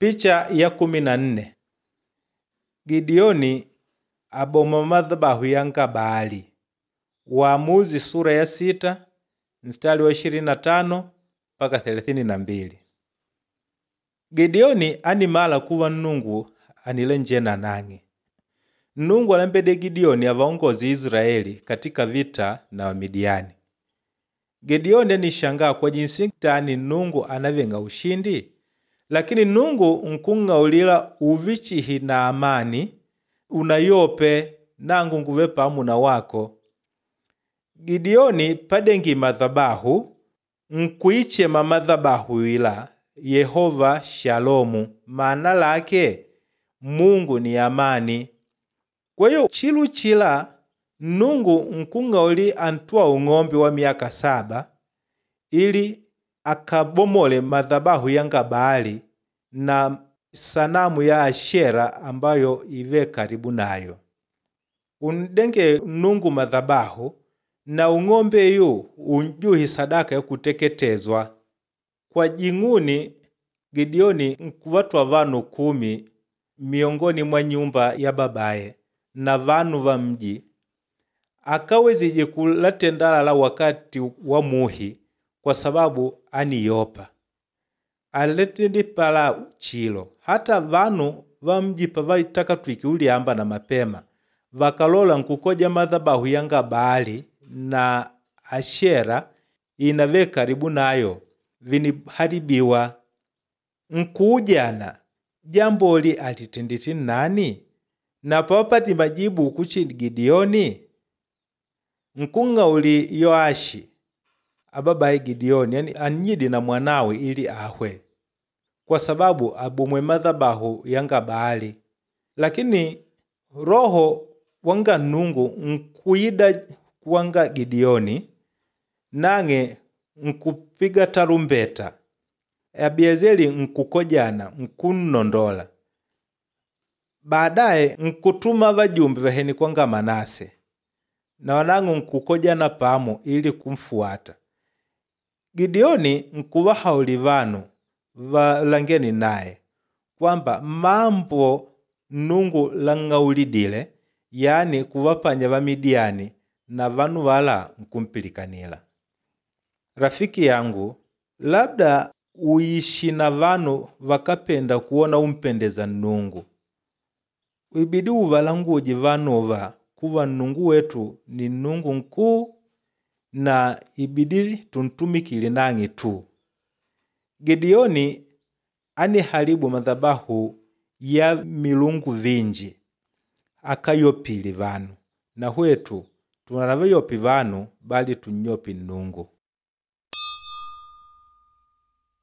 Picha ya 14 Gideoni aboma madhabahu yanga Baali. Waamuzi sura ya 6 mstari wa 25 mpaka 32. Gideoni animala kuva Nnungu anilenjena nang'e. Nnungu alembede Gideoni avaongoze Israeli katika vita na Wamidiani. Gideoni anishangaa kwa jinsi tani Nnungu anavenga ushindi, lakini Nnungu nkung'aulila uvichihi na amani unayope nangu nguve pamu na wako. Gideoni padengi madhabahu nkuichema madhabahu ila Yehova Shalomu, maana lake Mungu ni amani. Kwa hiyo chilu chila Nnungu nkung'auli antwa ung'ombe wa miaka 7 ili akabomole madhabahu yanga Baali na sanamu ya Ashera ambayo ive karibu nayo. Undenge Nnungu madhabahu na ung'ombeyu unjuhi sadaka ya kuteketezwa. Kwa jing'uni Gideoni nkuvatwa vanu 10 miongoni mwa nyumba ya babaye na vanu va mji akawezije kulatendalala wakati wa muhi kwa sababu aniyopa. Aletendi pala chilo hata vanu va mji pavaitaka twiki uliamba na mapema vakalola nkukoja madhabahu yanga Baali na Ashera inave karibu nayo viniharibiwa. Nkuujana jamboli alitenditi nani? Na pawapati majibu kuchi Gideoni? Nkung'auli Yoashi ababaye Gideoni, yani anyidi na mwanawe ili ahwe kwa sababu abomwe madhabahu yanga Baali. Lakini roho wanga Nnungu nkuida kuwanga Gideoni nang'e nkupiga tarumbeta. Abiezeli nkukojana nkunnondola. Baadaye nkutuma vajumbe vaheni kwanga Manase na wanang'u nkukojana pamo ili kumfuata. Gideoni nkuvahauli vanu valangeni naye kwamba mambo Nnungu lang'aulidile, yani kuvapanya Vamidiani na vanu vala nkumpilikanila. Rafiki yangu, labda uishi na vanu vakapenda kuona umpendeza Nnungu. Ibidi uvalanguje vanuva kuva Nnungu wetu ni Nnungu nkuu na ibidi tuntumikile nang'e tu. Gideoni aniharibu madhabahu ya milungu vinji akayopile vanu, na hwetu tunavayopi vanu bali tunyopi Nnungu.